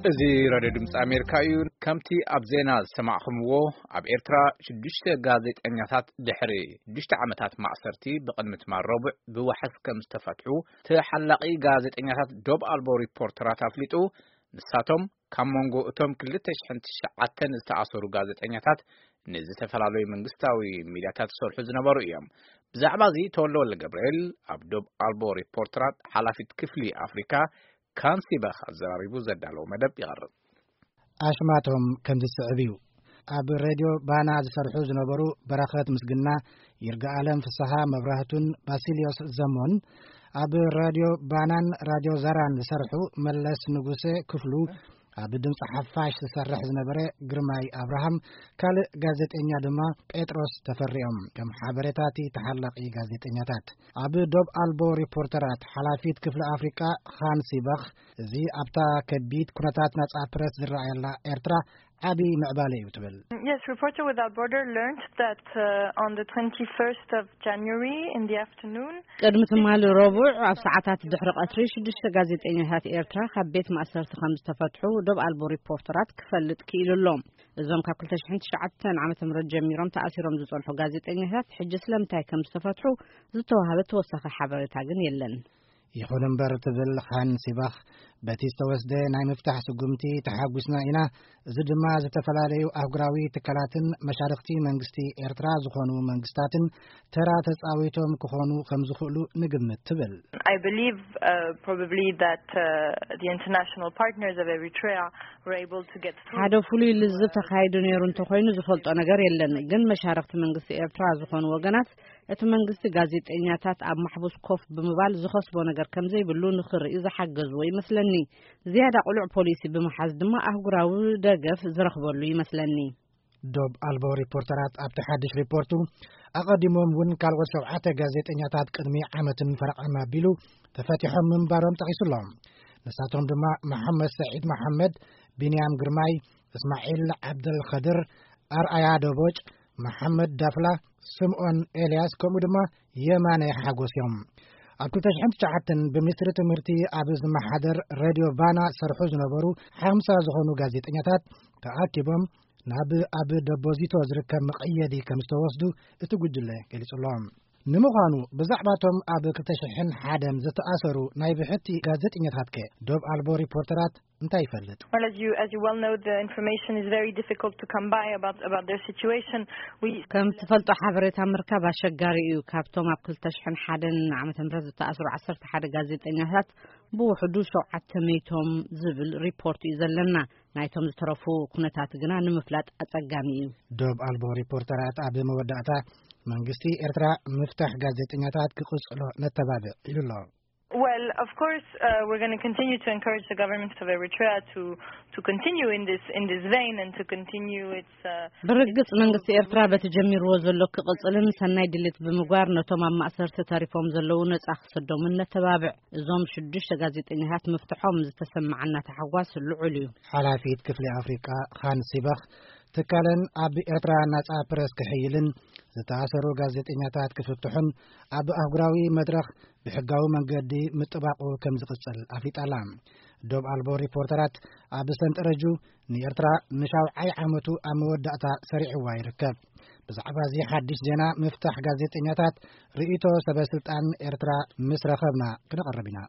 እዚ ራድዮ ድምፂ ኣሜሪካ እዩ። ከምቲ ኣብ ዜና ዝሰማዕኹምዎ፣ ኣብ ኤርትራ ሽዱሽተ ጋዜጠኛታት ድሕሪ ሽዱሽተ ዓመታት ማእሰርቲ ብቕድሚ ትማል ረቡዕ ብዋሕስ ከም ዝተፈትሑ ተሓላቒ ጋዜጠኛታት ዶብ ኣልቦ ሪፖርተራት ኣፍሊጡ። ንሳቶም ካብ መንጎ እቶም ክልተ ሽሕን ትሽዓተን ዝተኣሰሩ ጋዜጠኛታት ንዝተፈላለዩ መንግስታዊ ሚድያታት ዝሰርሑ ዝነበሩ እዮም። ብዛዕባ እዚ ተወልደ ወልደ ገብርኤል ኣብ ዶብ ኣልቦ ሪፖርተራት ሓላፊት ክፍሊ ኣፍሪካ ካንሲባኽ ኣዘራሪቡ ዘዳለዎ መደብ ይቐርብ። ኣሽማቶም ከም ዝስዕብ እዩ። ኣብ ሬድዮ ባና ዝሰርሑ ዝነበሩ በረኸት ምስግና፣ ይርጋኣለም ፍስሃ መብራህቱን ባሲልዮስ ዘሞን፣ ኣብ ራድዮ ባናን ራድዮ ዘራን ዝሰርሑ መለስ ንጉሴ ክፍሉ፣ ኣብ ድምፂ ሓፋሽ ዝሰርሕ ዝነበረ ግርማይ ኣብርሃም፣ ካልእ ጋዜጠኛ ድማ ጴጥሮስ ተፈሪኦም፣ ከም ሓበሬታቲ ተሓላቒ ጋዜጠኛታት። ኣብ ዶብ ኣልቦ ሪፖርተራት ሓላፊት ክፍሊ ኣፍሪቃ ኻን ሲባኽ፣ እዚ ኣብታ ከቢድ ኩነታት ናጻ ፕረስ ዝረኣየላ ኤርትራ ዓቢ ምዕባለ እዩ ትብል። Yes, Reporter Without Border learned that uh, on the twenty-first of January in the afternoon, ቅድሚ ትማሊ ረቡዕ ኣብ ሰዓታት ድሕሪ ቀትሪ ሽዱሽተ ጋዜጠኛታት ኤርትራ ካብ ቤት ማእሰርቲ ከም ዝተፈትሑ ዶብ ኣልቦ ሪፖርተራት ክፈልጥ ክኢሉ ኣሎ። እዞም ካብ ክልተ ሽሕን ትሽዓተን ዓመተ ምህረት ጀሚሮም ተኣሲሮም ዝጸንሑ ጋዜጠኛታት ሕጂ ስለምንታይ ከም ዝተፈትሑ ዝተዋህበ ተወሳኺ ሓበሬታ ግን የለን። ይኹን እምበር ትብል ኻን ሲባኽ፣ በቲ ዝተወስደ ናይ ምፍታሕ ስጉምቲ ተሓጒስና ኢና። እዚ ድማ ዝተፈላለዩ ኣህጉራዊ ትካላትን መሻርኽቲ መንግስቲ ኤርትራ ዝኾኑ መንግስታትን ተራ ተጻዊቶም ክኾኑ ከም ዝኽእሉ ንግምት ትብል። I believe uh, probably that uh, the international partners of Eritrea were able to get through. ሓደ ፍሉይ ልዝብ ተኻይዱ ነይሩ እንተኾይኑ ዝፈልጦ ነገር የለን፣ ግን መሻርኽቲ መንግስቲ ኤርትራ ዝኾኑ ወገናት እቲ መንግስቲ ጋዜጠኛታት ኣብ ማሕቡስ ኮፍ ብምባል ዝኸስቦ ነገር ከም ዘይብሉ ንኽርኢ ዝሓገዝዎ ይመስለኒ። ዝያዳ ቅሉዕ ፖሊሲ ብምሓዝ ድማ ኣህጉራዊ ደገፍ ዝረኽበሉ ይመስለኒ። ዶብ ኣልቦ ሪፖርተራት ኣብቲ ሓድሽ ሪፖርቱ፣ ኣቐዲሞም እውን ካልኦት ሸውዓተ ጋዜጠኛታት ቅድሚ ዓመትን ፈረቓን ኣቢሉ ተፈቲሖም ምንባሮም ጠቒሱ ኣሎ። ንሳቶም ድማ መሓመድ ሰዒድ መሓመድ፣ ቢንያም ግርማይ፣ እስማዒል ዓብደልኸድር፣ ኣርኣያ ደቦጭ፣ መሓመድ ዳፍላ፣ ስምኦን ኤልያስ፣ ከምኡ ድማ የማነ ሓጎስ እዮም። ኣብ ክልተ ሽሕን ትሽዓተን ብሚኒስትሪ ትምህርቲ ኣብ ዝመሓደር ሬድዮ ቫና ሰርሑ ዝነበሩ ሓምሳ ዝኾኑ ጋዜጠኛታት ተኣኪቦም ናብ ኣብ ደቦዚቶ ዝርከብ መቐየዲ ከም ዝተወስዱ እቲ ጉጅለ ገሊጹ ኣሎ። ንምዃኑ ብዛዕባቶም ኣብ ክልተ ሽሕን ሓደን ዝተኣሰሩ ናይ ብሕቲ ጋዜጠኛታት ከ ዶብ ኣልቦ ሪፖርተራት እንታይ ይፈልጥ? Well, as you as you well know, the information is very difficult to come by about about their situation. We ከም ትፈልጦ ሓበሬታ ምርካብ ኣሸጋሪ እዩ። ካብቶም ኣብ ክልተ ሽሕን ሓደን ዓመተ ምህረት ዝተኣስሩ ዓሰርተ ሓደ ጋዜጠኛታት ብውሕዱ ሸውዓተ ሚእቶም ዝብል ሪፖርት እዩ ዘለና። ናይቶም ዝተረፉ ኩነታት ግና ንምፍላጥ ኣጸጋሚ እዩ። ዶብ ኣልቦ ሪፖርተራት ኣብ መወዳእታ መንግስቲ ኤርትራ ምፍታሕ ጋዜጠኛታት ክቕጽሎ ነተባብዕ ኢሉ ኣሎ። Well, of course, uh, we're going to continue to encourage the government of Eritrea to to continue in this in this vein and to continue its. Uh, ብርግጽ መንግስቲ ኤርትራ በቲ ጀሚርዎ ዘሎ ክቕጽልን ሰናይ ድሌት ብምግባር ነቶም ኣብ ማእሰርቲ ተሪፎም ዘለዉ ነጻ ክሰዶምን ነተባብዕ። እዞም ሽዱሽተ ጋዜጠኛታት ምፍትሖም ዝተሰማዓና ታሕጓስ ልዑል እዩ። ሓላፊት ክፍሊ ኣፍሪቃ ኻን ሲባኽ፣ ትካለን ኣብ ኤርትራ ናጻ ፕረስ ክሕይልን ዝተኣሰሩ ጋዜጠኛታት ክፍትሑን ኣብ ኣህጉራዊ መድረኽ ብሕጋዊ መንገዲ ምጥባቑ ከም ዝቕጽል ኣፍሊጣ ኣላ። ዶብ ኣልቦ ሪፖርተራት ኣብ ሰንጠረጁ ንኤርትራ ንሻውዓይ ዓመቱ ኣብ መወዳእታ ሰሪዕዋ ይርከብ። ብዛዕባ እዚ ሓድሽ ዜና ምፍታሕ ጋዜጠኛታት ርእይቶ ሰበ ስልጣን ኤርትራ ምስ ረኸብና ክነቕርብ ኢና።